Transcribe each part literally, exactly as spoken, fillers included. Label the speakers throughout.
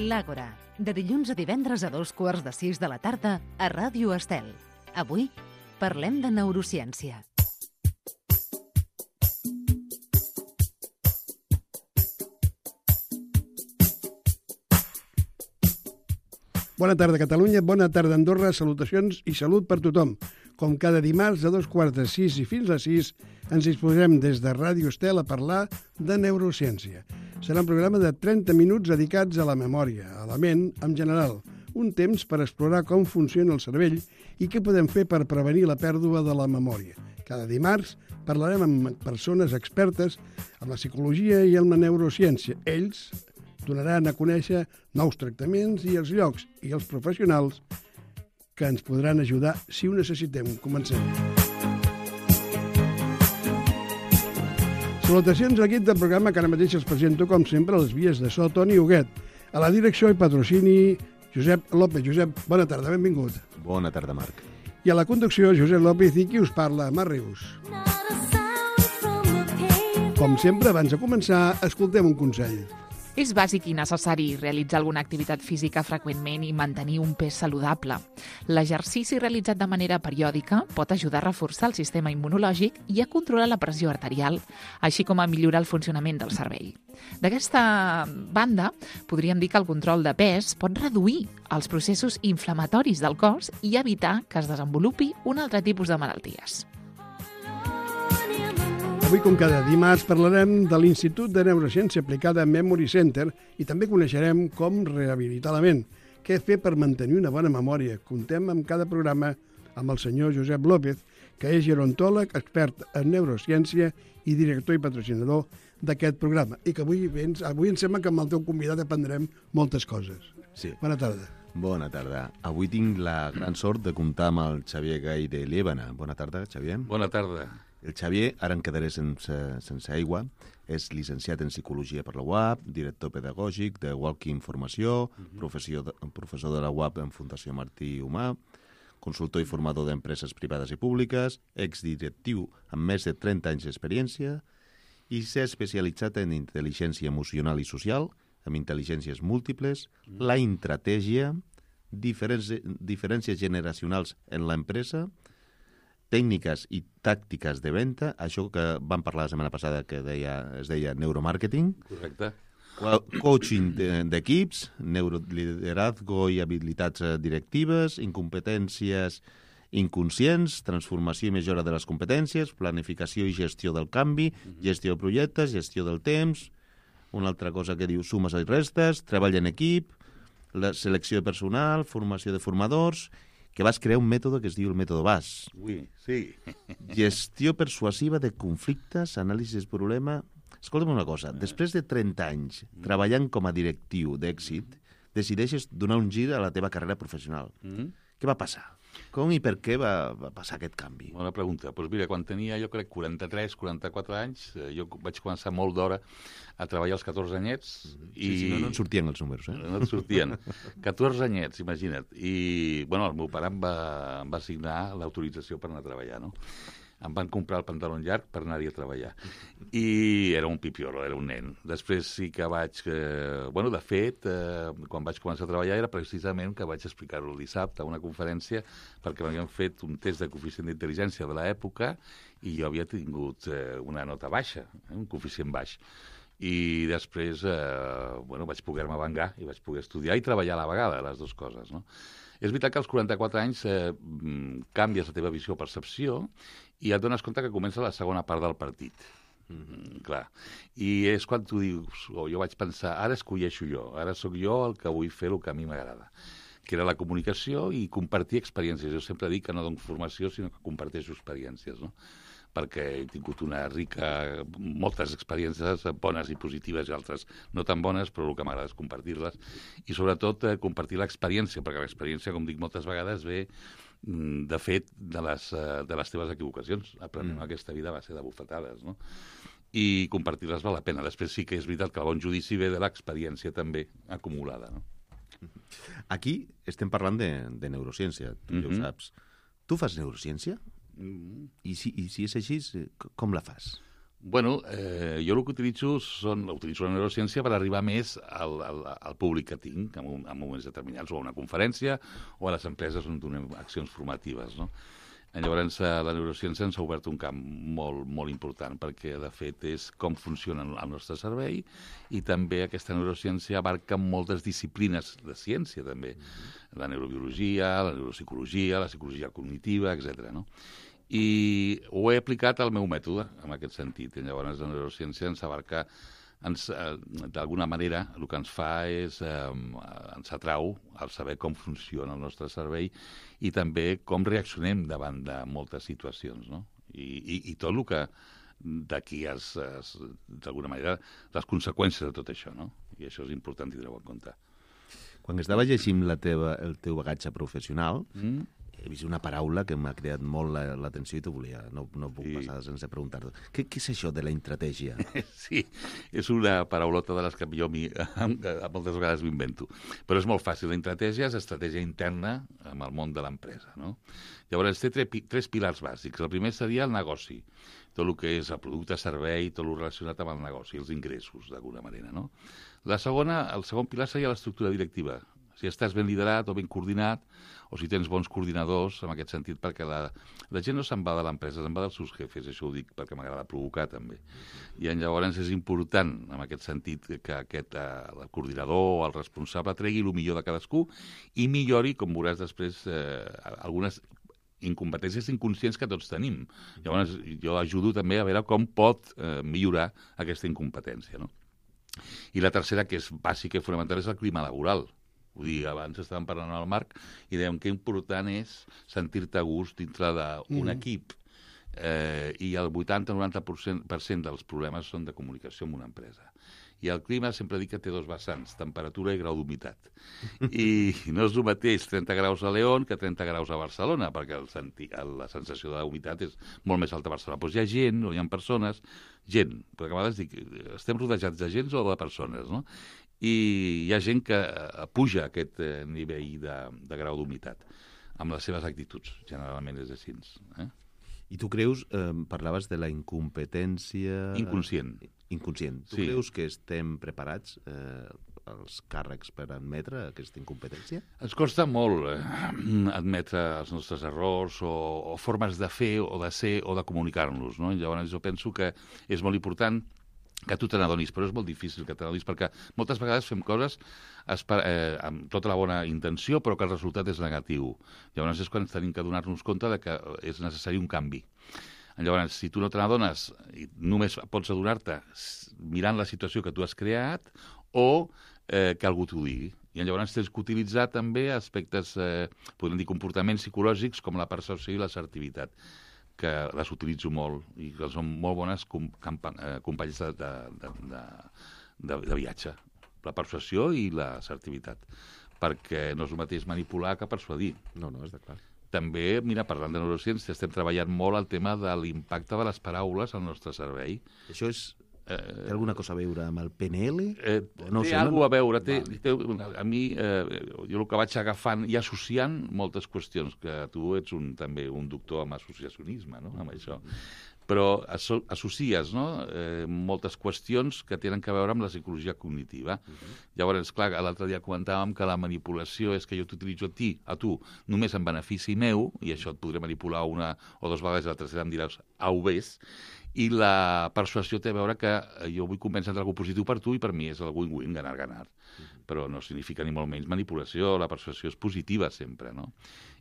Speaker 1: L'Àgora, de dilluns a divendres a dos quarts de sis de la tarda a Ràdio Estel. Avui parlem de neurociència.
Speaker 2: Bona tarda, Catalunya, bona tarda, Andorra, salutacions i salut per tothom. Com cada dimarts a dos quarts de sis i fins a sis ens disposem des de Ràdio Estel a parlar de neurociència. Serà un programa de trenta minuts dedicats a la memòria, a la ment en general, un temps per explorar com funciona el cervell i què podem fer per prevenir la pèrdua de la memòria. Cada dimarts parlarem amb persones expertes en la psicologia i en la neurociència. Ells donaran a conèixer nous tractaments i els llocs i els professionals que ens podran ajudar si ho necessitem. Comencem. Salutacions a l'equip del programa que ara mateix els presento, com sempre, a les vies de so, Toni Huguet. A la direcció i patrocini, Josep López. Josep, bona tarda, benvingut.
Speaker 3: Bona tarda, Marc.
Speaker 2: I a la conducció, Josep López, i qui us parla, Mar Rius. Com sempre, abans de començar, escoltem un consell.
Speaker 4: És bàsic i necessari realitzar alguna activitat física freqüentment i mantenir un pes saludable. L'exercici realitzat de manera periòdica pot ajudar a reforçar el sistema immunològic i a controlar la pressió arterial, així com a millorar el funcionament del cervell. D'aquesta banda, podríem dir que el control de pes pot reduir els processos inflamatoris del cos i evitar que es desenvolupi un altre tipus de malalties.
Speaker 2: Avui, com cada dimarts, parlarem de l'Institut de Neurociència Aplicada Memory Center i també coneixerem com rehabilitar la ment, què fer per mantenir una bona memòria. Contem amb cada programa amb el senyor Josep López, que és gerontòleg, expert en neurociència i director i patrocinador d'aquest programa. I que avui, avui em sembla que amb el teu convidat aprendrem moltes coses.
Speaker 3: Sí.
Speaker 2: Bona tarda.
Speaker 3: Bona tarda. Avui tinc la gran sort de comptar amb el Xavier Gai de Liébana. Bona tarda, Xavier.
Speaker 5: Bona tarda.
Speaker 3: El Xavier, ara em quedaré sense, sense aigua, és llicenciat en Psicologia per la U A P, director pedagògic de Walking Formació, uh-huh. professor, de, professor de la U A P en Fundació Martí Humà, consultor i formador d'empreses privades i públiques, exdirectiu amb més de trenta anys d'experiència i s'ha especialitzat en intel·ligència emocional i social, amb intel·ligències múltiples, uh-huh. la intratègia, diferències, diferències generacionals en l'empresa, tècniques i tàctiques de venda, això que vam parlar la setmana passada que deia, es deia neuromàrqueting.
Speaker 5: Correcte.
Speaker 3: Coaching d'equips, neuroliderazgo i habilitats directives, incompetències inconscients, transformació i millora de les competències, planificació i gestió del canvi, gestió de projectes, gestió del temps, una altra cosa que diu sumes i restes, treball en equip, la selecció de personal, formació de formadors, que vas crear un mètode que es diu el mètode B A S.
Speaker 5: Ui, sí.
Speaker 3: Gestió persuasiva de conflictes, anàlisi de problema. Escolta'm una cosa, després de trenta anys treballant com a directiu d'èxit, decideixes donar un gir a la teva carrera professional. Mm-hmm. Què va passar? Com i per què va, va passar aquest canvi?
Speaker 5: Bona pregunta. Doncs mira, quan tenia, jo crec, quaranta-tres, quaranta-quatre anys, jo vaig començar molt d'hora a treballar als catorze anyets.
Speaker 3: Sí,
Speaker 5: i...
Speaker 3: sí, no, no en sortien els números, eh?
Speaker 5: No en sortien. catorze anyets, imagina't. I, bueno, el meu pare em va, em va assignar l'autorització per anar a treballar, no? Em van comprar el pantaló llarg per anar-hi a treballar. I era un pipiolo, era un nen. Després sí que vaig... Eh, bueno, de fet, eh, quan vaig començar a treballar era precisament que vaig explicar-ho el dissabte a una conferència perquè m'havien fet un test de coeficient d'intel·ligència de l'època i jo havia tingut eh, una nota baixa, eh, un coeficient baix. I després, eh, bueno, vaig poder-me vengar i vaig poder estudiar i treballar a la vegada, les dues coses, no? És veritat que als quaranta-quatre anys eh, canvies la teva visió o percepció i et dones compte que comença la segona part del partit. Mm-hmm, clar. I és quan tu dius, o jo vaig pensar, ara escolleixo jo, ara sóc jo el que vull fer el que a mi m'agrada, que era la comunicació i compartir experiències. Jo sempre dic que no dono formació, sinó que comparteixo experiències, no? Perquè he tingut una rica, moltes experiències bones i positives i altres no tan bones, però el que m'agrada és compartir-les i sobretot eh, compartir l'experiència, perquè l'experiència, com dic moltes vegades, ve de fet de les, de les teves equivocacions. Aprenent mm. aquesta vida va ser de bufetades, no? I compartir-les val la pena. Després sí que és veritat que el bon judici ve de l'experiència també acumulada, no?
Speaker 3: Aquí estem parlant de, de neurociència, tu mm-hmm. ja ho saps. Tu fas neurociència? I si, I si és així, com la fas?
Speaker 5: Bueno, eh, jo el que utilitzo són, utilitzo la neurociència per arribar més al, al, al públic que tinc en, en moments determinats, o a una conferència o a les empreses on donem accions formatives, no? Llavors, la neurociència ens ha obert un camp molt, molt important perquè, de fet, és com funciona el nostre cervell i també aquesta neurociència abarca moltes disciplines de ciència, també. Mm-hmm. La neurobiologia, la neuropsicologia, la psicologia cognitiva, etcètera, no? I ho he aplicat al meu mètode, en aquest sentit. I llavors, la neurociència ens abarca, ens, eh, d'alguna manera, el que ens fa és, eh, ens atrau al saber com funciona el nostre cervell i també com reaccionem davant de moltes situacions, no? I, i, i tot el que d'aquí, d'alguna manera, les conseqüències de tot això, no? I això és important tindre-ho en compte.
Speaker 3: Quan estava llegint la teva, el teu bagatge professional, mm. he vist una paraula que m'ha creat molt l'atenció i t'ho volia, no, no puc sí. passar sense preguntar-te. Què, què és això de la intratègia?
Speaker 5: Sí, és una paraulota de les que jo mi, moltes vegades m'invento. Però és molt fàcil. La intratègia és estratègia interna en el món de l'empresa, no? Llavors, té tres, tres pilars bàsics. El primer seria el negoci, tot el que és el producte, servei, tot el relacionat amb el negoci, els ingressos, d'alguna manera, no? La segona, el segon pilar seria l'estructura directiva. Si estàs ben liderat o ben coordinat, o si tens bons coordinadors, en aquest sentit, perquè la, la gent no se'n va de l'empresa, se'n va dels seus jefes, això ho dic perquè m'agrada provocar, també. I llavors és important, en aquest sentit, que aquest eh, el coordinador o el responsable tregui el millor de cadascú i millori, com veuràs després, eh, algunes incompetències inconscients que tots tenim. Llavors, jo ajudo també a veure com pot eh, millorar aquesta incompetència, no? I la tercera, que és bàsica i fonamental, és el clima laboral. Vull dir, abans estàvem parlant al Marc i dèiem que important és sentir-te a gust dintre d'un mm. equip. Eh, I el vuitanta a noranta per cent dels problemes són de comunicació en una empresa. I el clima sempre dic que té dos vessants, temperatura i grau d'humitat. I no és el mateix trenta graus a León que trenta graus a Barcelona, perquè el senti, la sensació de humitat és molt més alta a Barcelona. Doncs hi ha gent, o hi ha persones, gent, perquè a vegades dic, estem rodejats de gent o de persones, no? I hi ha gent que puja aquest nivell de, de grau d'humitat amb les seves actituds, generalment és així. Eh?
Speaker 3: I tu creus, eh, parlaves de la incompetència...
Speaker 5: Inconscient.
Speaker 3: Inconscient. Tu sí. creus que estem preparats, eh, els càrrecs, per admetre aquesta incompetència?
Speaker 5: Ens costa molt eh, admetre els nostres errors o, o formes de fer o de ser o de comunicar-nos, no? Llavors jo penso que és molt important que tu te n'adonis, però és molt difícil que te n'adonis, perquè moltes vegades fem coses eh, amb tota la bona intenció, però que el resultat és negatiu. Llavors és quan tenim que donar-nos compte de que és necessari un canvi. Llavors, si tu no te n'adones, només pots adonar-te mirant la situació que tu has creat o eh, que algú t'ho digui. I llavors tens que utilitzar també aspectes, eh, podem dir, comportaments psicològics com la percepció i l'assertivitat, que les utilitzo molt i que són molt bones com, eh, companys de, de, de, de, de viatge. La persuasió i l'assertivitat. Perquè no és el mateix manipular que persuadir.
Speaker 3: No, no, és de clar.
Speaker 5: També, mira, parlant de neurociència, estem treballant molt el tema de l'impacte de les paraules al nostre cervell.
Speaker 3: Això és... Té alguna cosa a veure amb el P N L?
Speaker 5: Eh, no té alguna cosa a veure. Té, té, a mi, eh, jo el que vaig agafant i associant moltes qüestions, que tu ets un, també un doctor en associacionisme, no?, amb això. Però asso associes, no?, eh, moltes qüestions que tenen a veure amb la psicologia cognitiva. Uh-huh. Llavors, clar, l'altre dia comentàvem que la manipulació és que jo t'utilitzo a ti, a tu, només en benefici meu, i això et podré manipular una o dues vegades, i la tercera em diràs, au, ves, i la persuasió té a veure que jo vull convèncer algú positiu per tu i per mi és el win-win, ganar-ganar. Uh-huh. Però no significa ni molt menys manipulació, la persuasió és positiva sempre, no?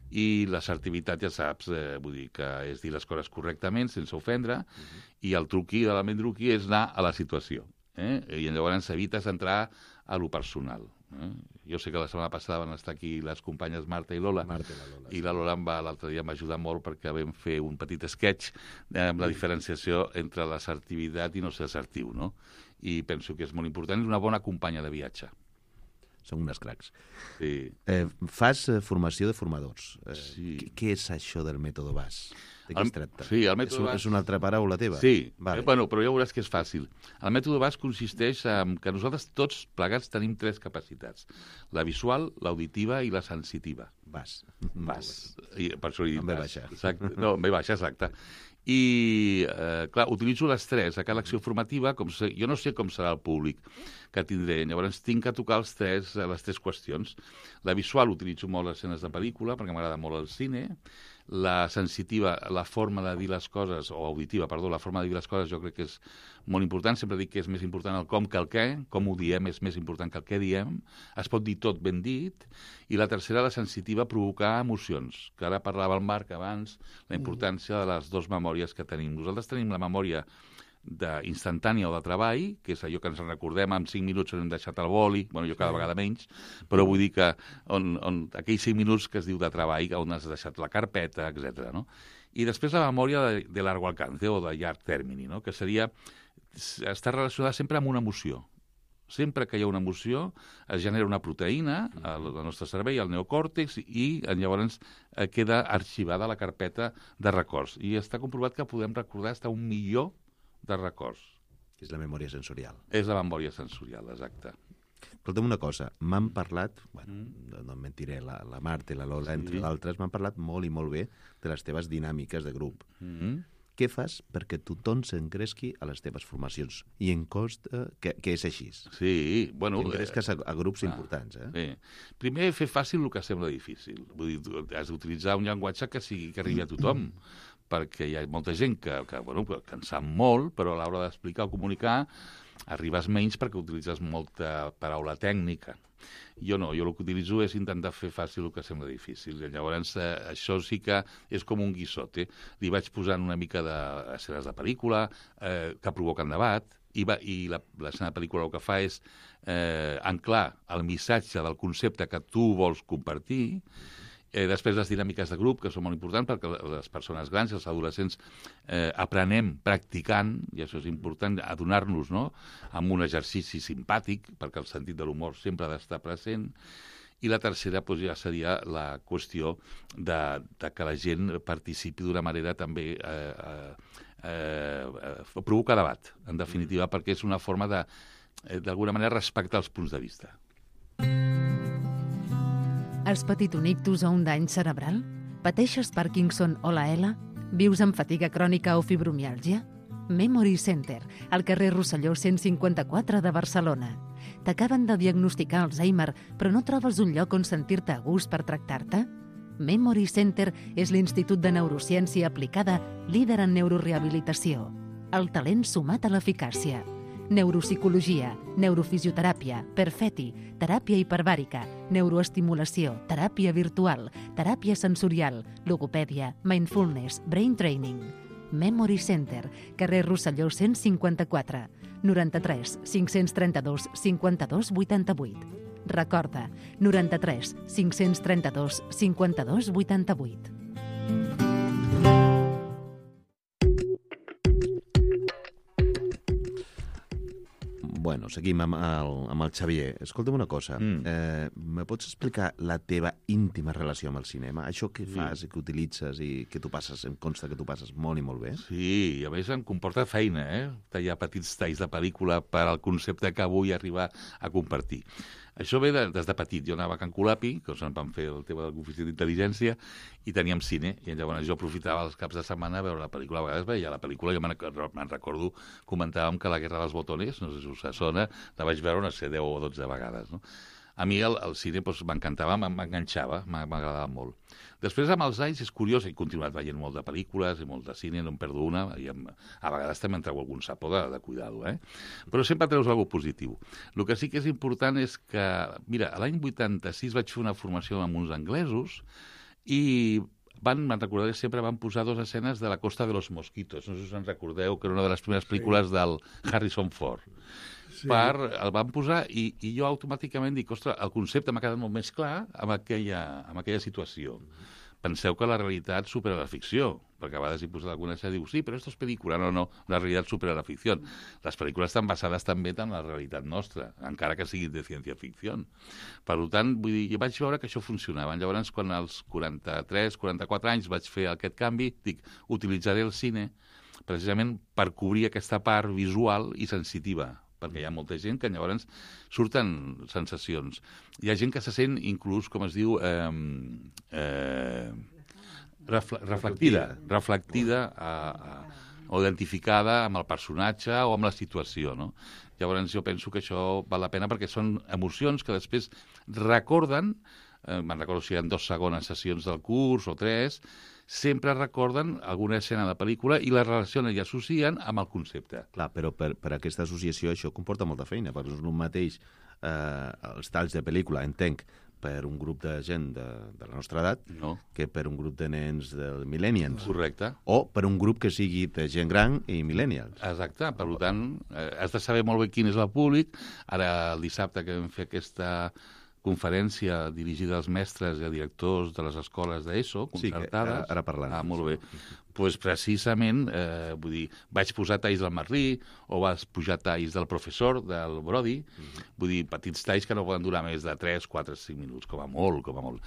Speaker 5: I l'assertivitat, ja saps, eh, vull dir que és dir les coses correctament, sense ofendre, uh-huh. i el truqui, l'element truqui, és anar a la situació. Eh? I llavors evites entrar a lo personal. Eh? Jo sé que la setmana passada van estar aquí les companyes Marta i Lola,
Speaker 3: Marta i la Lola,
Speaker 5: i la Lola em va, l'altre dia m'ajuda molt perquè vam fer un petit sketch eh, amb la diferenciació entre l'assertivitat i no ser assertiu, no? I penso que és molt important, és una bona companya de viatge.
Speaker 3: Són unes cracs.
Speaker 5: Sí.
Speaker 3: Eh, fas eh, formació de formadors. Eh,
Speaker 5: sí.
Speaker 3: Què és això del mètode B A S? De què
Speaker 5: el,
Speaker 3: es tracta?
Speaker 5: Sí, el mètode
Speaker 3: és, un,
Speaker 5: B A S...
Speaker 3: és una altra paraula teva?
Speaker 5: Sí,
Speaker 3: vale.
Speaker 5: eh, bueno, però ja veuràs que és fàcil. El mètode B A S consisteix en que nosaltres tots plegats tenim tres capacitats. La visual, l'auditiva i la sensitiva.
Speaker 3: B A S.
Speaker 5: B A S. I per això he dit
Speaker 3: amb B
Speaker 5: B A S.
Speaker 3: baixa.
Speaker 5: Exacte. No, amb B baixa, exacte. I, eh, clar, utilitzo les tres a cada acció formativa, com se, jo no sé com serà el públic que tindré, llavors tinc que tocar els tres, les tres qüestions. La visual utilitzo molt les escenes de pel·lícula, perquè m'agrada molt el cine. La sensitiva, la forma de dir les coses, o auditiva, perdó, la forma de dir les coses jo crec que és molt important. Sempre dic que és més important el com que el què, com ho diem és més important que el què diem. Es pot dir tot ben dit. I la tercera, la sensitiva, provocar emocions, que ara parlava el Marc abans, la importància de les dues memòries que tenim. Nosaltres tenim la memòria instantània o de treball, que és allò que ens recordem en cinc minuts on hem deixat el boli, bueno, jo cada vegada menys, però vull dir que on, on, aquells cinc minuts que es diu de treball, on has deixat la carpeta, etcètera. No? I després la memòria de, de largo alcance o de llarg termini, no? Que seria estar relacionada sempre amb una emoció. Sempre que hi ha una emoció es genera una proteïna al, al nostre cervell, al neocòrtex, i llavors eh, queda arxivada la carpeta de records. I està comprovat que podem recordar fins a un milió de records.
Speaker 3: És la memòria sensorial.
Speaker 5: És la memòria sensorial, exacte.
Speaker 3: Escolta'm una cosa, m'han parlat, bueno, mm. no em mentiré, la, la Marta i la Lola, sí. entre d'altres, m'han parlat molt i molt bé de les teves dinàmiques de grup. Mm. Què fas perquè tothom s'engresqui a les teves formacions? I em consta que, que és així.
Speaker 5: Sí, bueno...
Speaker 3: Engresques a, a grups ah, importants, eh?
Speaker 5: Sí. Primer, fer fàcil el que sembla difícil. Vull dir, has d'utilitzar un llenguatge que sigui que arribi a tothom. Perquè hi ha molta gent que, que, bueno, que en sap molt, però a l'hora d'explicar o comunicar arribes menys perquè utilitzes molta paraula tècnica. Jo no, jo el que utilitzo és intentar fer fàcil el que sembla difícil. I llavors, eh, això sí que és com un guissote. Li vaig posant una mica d'escenes de pel·lícula eh, que provoquen debat, i, va, i l'escena de pel·lícula el que fa és eh, anclar el missatge del concepte que tu vols compartir. Eh, després les dinàmiques de grup, que són molt importants perquè les persones grans i els adolescents eh, aprenem practicant, i això és important, adonar-nos, no?, amb un exercici simpàtic, perquè el sentit de l'humor sempre ha d'estar present. I la tercera doncs, ja seria la qüestió de, de que la gent participi d'una manera també eh, eh, eh, provocar debat, en definitiva, perquè és una forma de, eh, d'alguna manera, respectar els punts de vista.
Speaker 1: Has patit un ictus o un dany cerebral? Pateixes Parkinson o la E L A? Vius amb fatiga crònica o fibromiàlgia? Memory Center, al carrer Rosselló cent cinquanta-quatre de Barcelona. T'acaben de diagnosticar Alzheimer, però no trobes un lloc on sentir-te a gust per tractar-te? Memory Center és l'Institut de Neurociència Aplicada líder en neurorehabilitació. El talent sumat a l'eficàcia. Neuropsicologia, neurofisioteràpia, perfeti, teràpia hiperbàrica, neuroestimulació, teràpia virtual, teràpia sensorial, logopèdia, mindfulness, brain training. Memory Center, carrer Rosselló cent cinquanta-quatre, noranta-tres cinc-cents trenta-dos cinquanta-dos vuitanta-vuit. Recorda, noranta-tres cinc-cents trenta-dos cinquanta-dos vuitanta-vuit.
Speaker 3: Bueno, seguim amb el, amb el Xavier. Escolta'm una cosa. Mm. Eh, me pots explicar la teva íntima relació amb el cinema? Això que fas i que utilitzes i que tu passes, em consta que tu passes molt i molt bé.
Speaker 5: Sí, i a més em comporta feina, eh? Tallar petits talls de pel·lícula per al concepte que vull arribar a compartir. Això ve de, des de petit. Jo anava a Can Colapi, que ens van fer el tema de l'oficina d'intel·ligència, i teníem cine. I llavors jo aprofitava els caps de setmana a veure la pel·lícula. A vegades veia la pel·lícula, jo me'n recordo, comentàvem que La guerra dels botones, no sé si us sona, la vaig veure, no sé, deu o dotze vegades, no? A mi el, el cine doncs, m'encantava, m'enganxava, m'agradava molt. Després, amb els anys, és curiós, he continuat veient molt de pel·lícules i molt de cine, no em perdo una, i em, a vegades també em treu algun sapó de, de cuidar-ho, eh? Però sempre treus alguna cosa positiu. El que sí que és important és que, mira, l'any vuitanta-sis vaig fer una formació amb uns anglesos i van, me'n recordaré, sempre van posar dues escenes de La costa de los mosquitos. No sé si us en recordeu, que era una de les primeres pel·lícules del Harrison Ford. Sí. Per, el van posar i, i jo automàticament dic, ostres, el concepte m'ha quedat molt més clar amb aquella, amb aquella situació. Penseu que la realitat supera la ficció, perquè a vegades hi posat alguna cosa i diu, sí, però esto es pel·lícula. No, no, la realitat supera la ficció. Les pel·lícules estan basades també en la realitat nostra, encara que siguin de ciència-ficció. Per tant, vull dir, jo vaig veure que això funcionava. Llavors, quan als quaranta-tres, quaranta-quatre anys vaig fer aquest canvi, dic, utilitzaré el cine precisament per cobrir aquesta part visual i sensitiva, perquè hi ha molta gent que llavors surten sensacions. Hi ha gent que se sent inclús, com es diu, eh, eh, Refle reflectida, reflectida a, a, o identificada amb el personatge o amb la situació, no? Llavors jo penso que això val la pena perquè són emocions que després recorden, eh, me'n recordo si hi ha dos segones sessions del curs o tres, sempre recorden alguna escena de pel·lícula i la relacionen i associen amb el concepte.
Speaker 3: Clar, però per, per aquesta associació això comporta molta feina, perquè no és un mateix eh, els talls de pel·lícula, entenc, per un grup de gent de, de la nostra edat
Speaker 5: No.
Speaker 3: que per un grup de nens del millennials.
Speaker 5: Correcte.
Speaker 3: O per un grup que sigui de gent gran i millennials.
Speaker 5: Exacte, per tant, eh, has de saber molt bé quin és el públic. Ara, el dissabte que vam fer aquesta conferència dirigida als mestres i a directors de les escoles d'ESO,
Speaker 3: Sí, que
Speaker 5: concertades.
Speaker 3: ara- ara parlant.
Speaker 5: Ah, molt bé. Pues precisament, eh, vull dir, vaig posar talls del Marlí o vaig pujar talls del professor, del Brody, vull dir, petits talls que no poden durar més de tres, quatre, cinc minuts, com a molt, com a molt.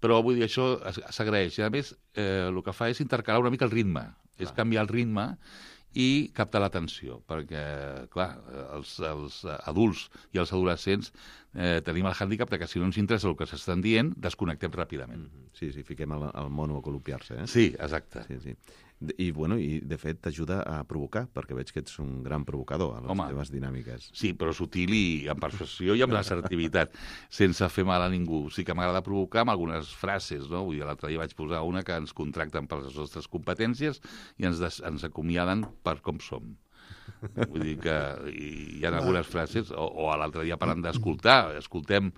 Speaker 5: Però, vull dir, això es- s'agraeix. I, a més, eh, el que fa és intercalar una mica el ritme. És canviar el ritme i captar l'atenció, perquè, clar, els, els adults i els adolescents eh, tenim el hàndicap que si no ens interessa el que s'estan dient, desconnectem ràpidament.
Speaker 3: Sí, sí, fiquem el, el mono a col·loquiar-se, eh?
Speaker 5: Sí, exacte.
Speaker 3: Sí, sí. I, bueno, i de fet t'ajuda a provocar, perquè veig que ets un gran provocador a les
Speaker 5: Home.
Speaker 3: teves dinàmiques.
Speaker 5: Sí, però sutil i amb persuasió i amb assertivitat, sense fer mal a ningú. Sí que m'agrada provocar amb algunes frases, no? Vull dir, l'altre dia vaig posar una que ens contracten per les nostres competències i ens, des, ens acomiaden per com som. Vull dir que hi, hi ha algunes frases, o, o l'altre dia parlant d'escoltar, escoltem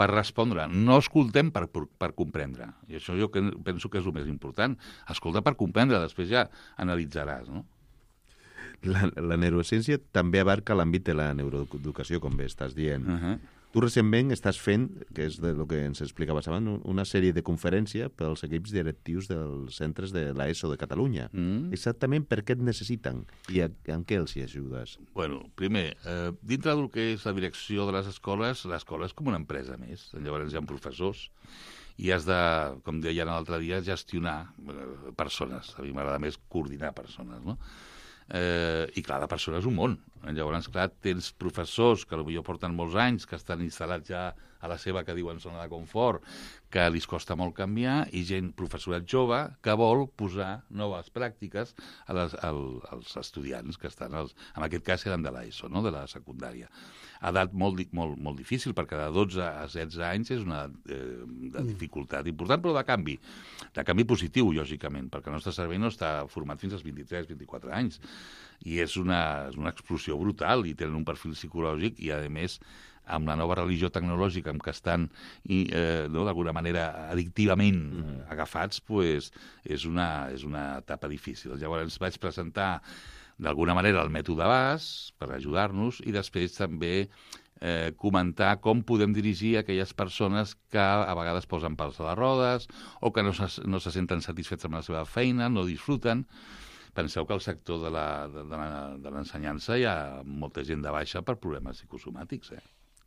Speaker 5: per respondre, no escoltem per, per, per comprendre. I això jo que penso que és el més important. Escolta per comprendre, després ja analitzaràs, no?
Speaker 3: La, la neurociència també abarca l'àmbit de la neuroeducació, com bé estàs dient.
Speaker 5: Uh -huh.
Speaker 3: Tu recentment estàs fent, que és de lo que ens explicaves abans, una sèrie de conferència pels equips directius dels centres de l'ESO de Catalunya.
Speaker 5: Mm.
Speaker 3: Exactament per què et necessiten i a, en què els hi ajudes?
Speaker 5: Bueno, primer, eh, dintre del que és la direcció de les escoles, l'escola és com una empresa més. Llavors hi ha professors i has de, com deien l'altre dia, gestionar eh, persones. A mi m'agrada més coordinar persones, no? Eh, I, clar, la persona és un món. Llavors, clar, tens professors que potser porten molts anys, que estan instal·lats ja a la seva, que diuen, zona de confort, que li costa molt canviar, i gent, professorat jove, que vol posar noves pràctiques a les, al, als estudiants que estan, als, en aquest cas eren de l'ESO, no?, de la secundària. Edat molt, molt, molt difícil, perquè de dotze a setze anys és una eh, de dificultat important, però de canvi. De canvi positiu, lògicament, perquè el nostre cervell no està format fins als vint-i-tres, vint-i-quatre anys. I és una, és una explosió brutal, i tenen un perfil psicològic, i, a més, amb la nova religió tecnològica amb què estan, i, eh, no, d'alguna manera, addictivament mm. agafats, pues, és, una, és una etapa difícil. Llavors vaig presentar d'alguna manera el mètode B A S per ajudar-nos i després també eh, comentar com podem dirigir aquelles persones que a vegades posen pals a les rodes o que no se, no se senten satisfets amb la seva feina, no disfruten. Penseu que al sector de la, de, de l'ensenyança hi ha molta gent de baixa per problemes psicosomàtics, eh?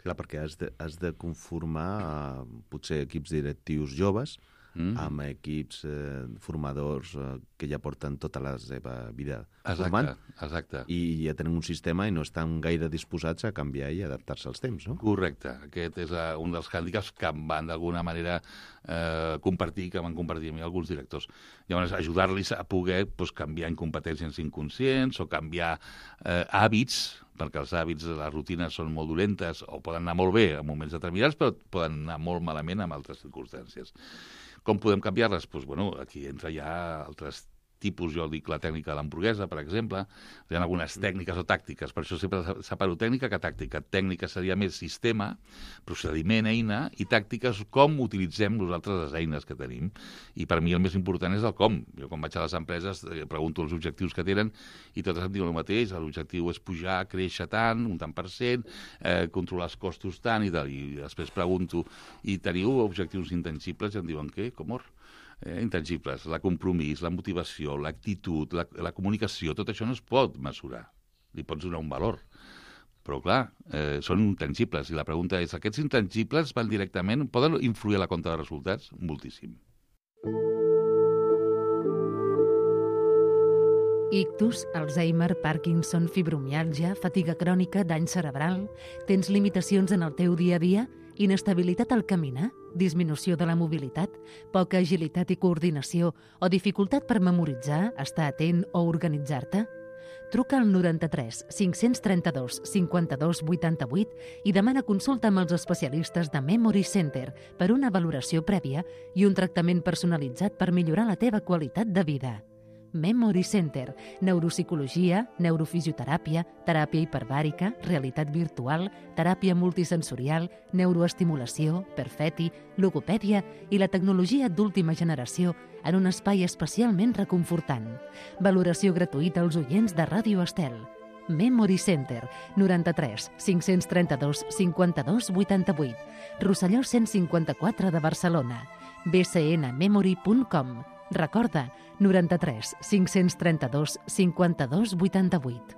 Speaker 3: Clar, perquè has de, has de conformar eh, potser equips directius joves mm. amb equips eh, formadors eh, que ja porten tota la seva vida
Speaker 5: exacte,
Speaker 3: formant.
Speaker 5: Exacte.
Speaker 3: I ja tenen un sistema i no estan gaire disposats a canviar i adaptar-se als temps, no?
Speaker 5: Correcte. Aquest és uh, un dels hàndicaps que em van d'alguna manera eh, compartir, que van compartir amb mi alguns directors. Llavors, ajudar-los a poder pues, canviar incompetències inconscients o canviar eh, hàbits, perquè els hàbits de les rutines són molt dolentes o poden anar molt bé en moments determinats, però poden anar molt malament en altres circumstàncies. Com podem canviar-les? Doncs, bueno, aquí entra ja altres tipus, jo dic la tècnica de l'hamburguesa, per exemple. Hi ha algunes tècniques o tàctiques, per això sempre separo tècnica que tàctica. Tècnica seria més sistema, procediment, eina, i tàctiques com utilitzem nosaltres les eines que tenim. I per mi el més important és el com. Jo quan vaig a les empreses eh, pregunto els objectius que tenen i totes em diuen el mateix. L'objectiu és pujar, créixer tant, un tant per cent, eh, controlar els costos tant i tal. I després pregunto, i teniu objectius intangibles? I em diuen, què? Com or? Eh, intangibles, la compromís, la motivació, l'actitud, la, la comunicació, tot això no es pot mesurar. Li pots donar un valor. Però, clar, eh, són intangibles. I la pregunta és, aquests intangibles van directament, poden influir a la compta de resultats? Moltíssim.
Speaker 1: Ictus, Alzheimer, Parkinson, fibromiàlgia, fatiga crònica, dany cerebral... Tens limitacions en el teu dia a dia? Inestabilitat al caminar? disminució de la mobilitat, poca agilitat i coordinació o dificultat per memoritzar, estar atent o organitzar-te? Truca al noranta-tres cinc-cents trenta-dos cinquanta-dos vuitanta-vuit i demana consulta amb els especialistes de Memory Center per una valoració prèvia i un tractament personalitzat per millorar la teva qualitat de vida. Memory Center, neuropsicologia, neurofisioteràpia, teràpia hiperbàrica, realitat virtual, teràpia multisensorial, neuroestimulació, perfeti, logopèdia i la tecnologia d'última generació en un espai especialment reconfortant. Valoració gratuïta als oients de Ràdio Estel. Memory Center, noranta-tres cinc-cents trenta-dos cinquanta-dos vuitanta-vuit, Rosselló cent cinquanta-quatre de Barcelona, b c n memory punt com. Recorda, noranta-tres cinc-cents trenta-dos cinquanta-dos vuitanta-vuit.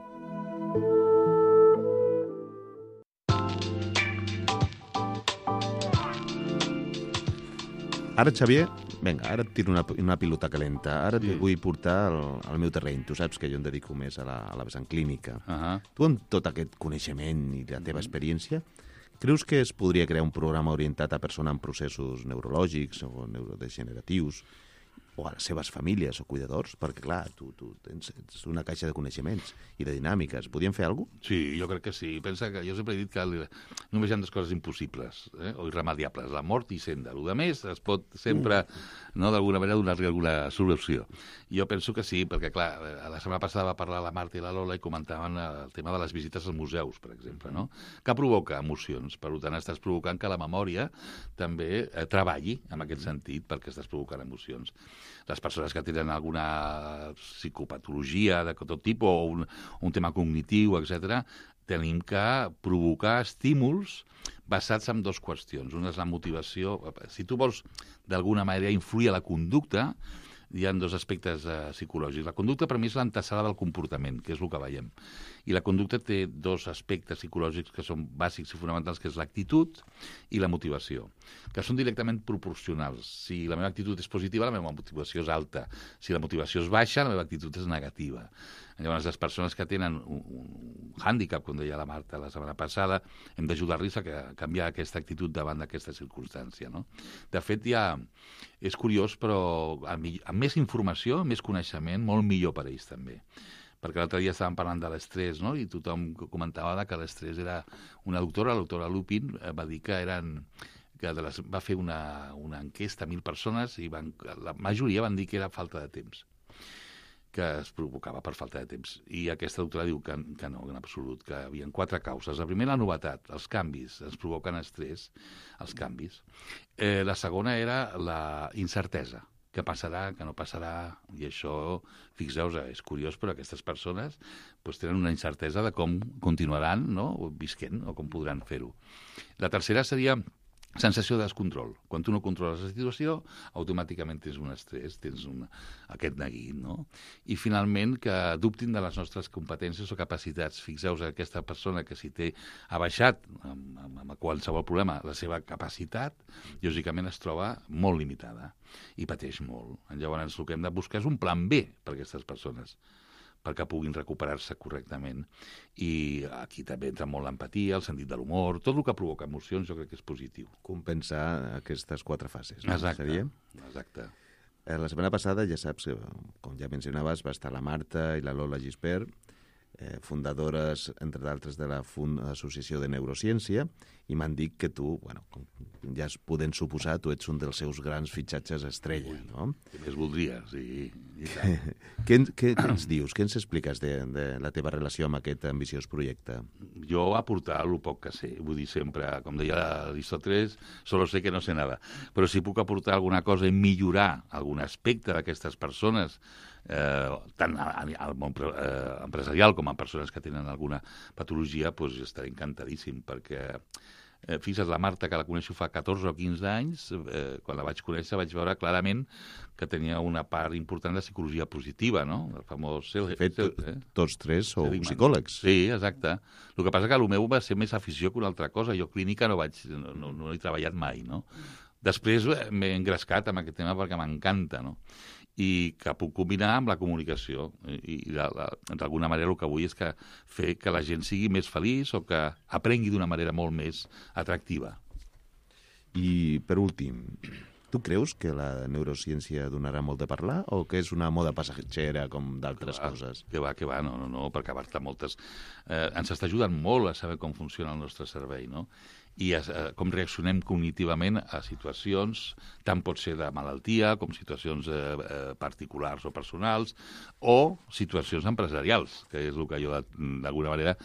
Speaker 3: Ara, Xavier, vinga, ara et tiro una, una pilota calenta. Ara
Speaker 5: Sí.
Speaker 3: et vull portar al, al meu terreny. Tu saps que jo em dedico més a la, a la vessant clínica.
Speaker 5: Uh-huh.
Speaker 3: Tu, amb tot aquest coneixement i la teva experiència, creus que es podria crear un programa orientat a persones amb processos neurològics o neurodegeneratius, o a les seves famílies o cuidadors? Perquè, clar, tu, tu tens, tens una caixa de coneixements i de dinàmiques. Podríem fer alguna cosa?
Speaker 5: Sí, jo crec que sí. Pensa que jo sempre he dit que li- només hi ha dues coses impossibles, eh? o irremediables, la mort i senda. El que més es pot sempre, no, d'alguna manera, donar-li alguna solució. Jo penso que sí, perquè, clar, la setmana passada va parlar la Marta i la Lola i comentaven el tema de les visites als museus, per exemple, no? Que provoca emocions. Per tant, estàs provocant que la memòria també eh, treballi en aquest sentit, perquè estàs provocant emocions. Les persones que tenen alguna psicopatologia de tot tipus o un, un tema cognitiu, etcètera, tenim que provocar estímuls basats en dues qüestions. Una és la motivació. Si tu vols, d'alguna manera, influir a la conducta, hi ha dos aspectes eh, psicològics. La conducta, per mi, és l'antesala del comportament, que és el que veiem. I la conducta té dos aspectes psicològics que són bàsics i fonamentals, que és l'actitud i la motivació, que són directament proporcionals. Si la meva actitud és positiva, la meva motivació és alta. Si la motivació és baixa, la meva actitud és negativa. Llavors, les persones que tenen un, un hàndicap, com deia la Marta la setmana passada, hem d'ajudar-los a, que, a canviar aquesta actitud davant d'aquesta circumstància, no? De fet, ja és curiós, però amb, amb més informació, més coneixement, molt millor per a ells també. Perquè l'altre dia estàvem parlant de l'estrès, no? I tothom comentava que l'estrès era... Una doctora, la doctora Lupin, va dir que eren... que de les, va fer una, una enquesta a mil persones i van, la majoria van dir que era falta de temps, que es provocava per falta de temps. I aquesta doctora diu que, que no, en absolut, que hi havia quatre causes. La primera, la novetat, els canvis, ens provoquen estrès, els canvis. Eh, la segona era la incertesa, què passarà, què no passarà, i això, fixeu-vos, és curiós, però aquestes persones pues, tenen una incertesa de com continuaran, no?, visquent, o com podran fer-ho. La tercera seria sensació de descontrol. Quan tu no controles la situació, automàticament tens un estrès, tens un, aquest neguit, no? I finalment que dubtin de les nostres competències o capacitats. Fixeu-vos, aquesta persona que si té ha baixat amb, amb, amb qualsevol problema la seva capacitat, lògicament es troba molt limitada i pateix molt. Llavors el que hem de buscar és un plan B per a aquestes persones, perquè puguin recuperar-se correctament. I aquí també entra molt l'empatia, el sentit de l'humor, tot el que provoca emocions jo crec que és positiu.
Speaker 3: Compensar aquestes quatre fases. No?
Speaker 5: Exacte,
Speaker 3: Seria?
Speaker 5: exacte.
Speaker 3: Eh, la setmana passada, ja saps, com ja mencionaves, va estar la Marta i la Lola Gispert, eh, fundadores, entre d'altres, de la Fund Associació de Neurociència, i m'han dit que tu, bueno, com ja es poden suposar, tu ets un dels seus grans fitxatges estrella, no?
Speaker 5: Què més voldria, sí. I tant.
Speaker 3: què, què, què ens dius, què ens expliques de, de la teva relació amb aquest ambiciós projecte?
Speaker 5: Jo aportar el poc que sé, vull dir sempre, com deia Aristóteles, solo sé que no sé nada, però si puc aportar alguna cosa i millorar algun aspecte d'aquestes persones, eh, tant al món eh, empresarial com a persones que tenen alguna patologia, doncs estaré encantadíssim, perquè Eh, fixa't, la Marta, que la coneixo fa catorze o quinze anys, eh, quan la vaig conèixer vaig veure clarament que tenia una part important de psicologia positiva, no? El famós...
Speaker 3: De fet,
Speaker 5: eh?
Speaker 3: tots tres sou
Speaker 5: Seligman.
Speaker 3: psicòlegs.
Speaker 5: Sí, exacte. El que passa que el meu va ser més afició que una altra cosa. Jo clínica no vaig, no, no, no he treballat mai, no? Després m'he engrescat amb aquest tema perquè m'encanta, no? I que puc combinar amb la comunicació. I, i d'alguna manera el que vull és que fer que la gent sigui més feliç o que aprengui d'una manera molt més atractiva.
Speaker 3: I, per últim, tu creus que la neurociència donarà molt de parlar o que és una moda passatgera com d'altres coses?
Speaker 5: Que va, que va, no, no, no, perquè a part moltes... Eh, ens està ajudant molt a saber com funciona el nostre cervell, no? I a, a, com reaccionem cognitivament a situacions, tant pot ser de malaltia com situacions eh, eh, particulars o personals, o situacions empresarials, que és el que jo d'alguna manera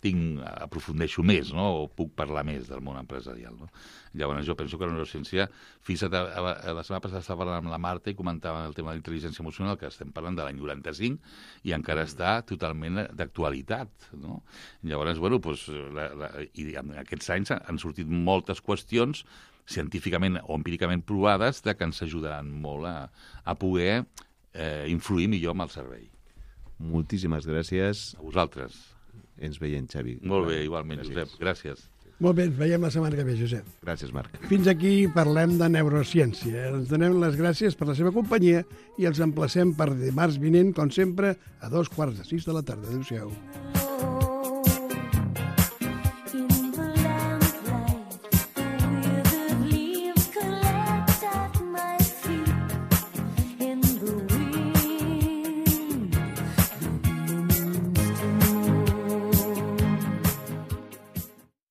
Speaker 5: tinc, aprofundeixo més, no? O puc parlar més del món empresarial, no? Llavors jo penso que la neurociència, fixa't, la setmana passada estava parlant amb la Marta i comentava el tema de la intel·ligència emocional, que estem parlant de l'any noranta-cinc i encara està totalment d'actualitat, no? Llavors, bueno, doncs, la, la, i en aquests anys han sortit moltes qüestions científicament o empíricament provades de que ens ajudaran molt a, a poder eh, influir millor amb el cervell.
Speaker 3: Moltíssimes gràcies.
Speaker 5: A vosaltres.
Speaker 3: Ens veiem, Xavi.
Speaker 5: Molt bé, igualment, gràcies. Josep. Gràcies.
Speaker 2: Molt bé, ens veiem la setmana que ve, Josep.
Speaker 3: Gràcies, Marc.
Speaker 2: Fins aquí parlem de neurociència. Ens donem les gràcies per la seva companyia i els emplacem per dimarts vinent, com sempre, a dos quarts de sis de la tarda. Adéu-siau.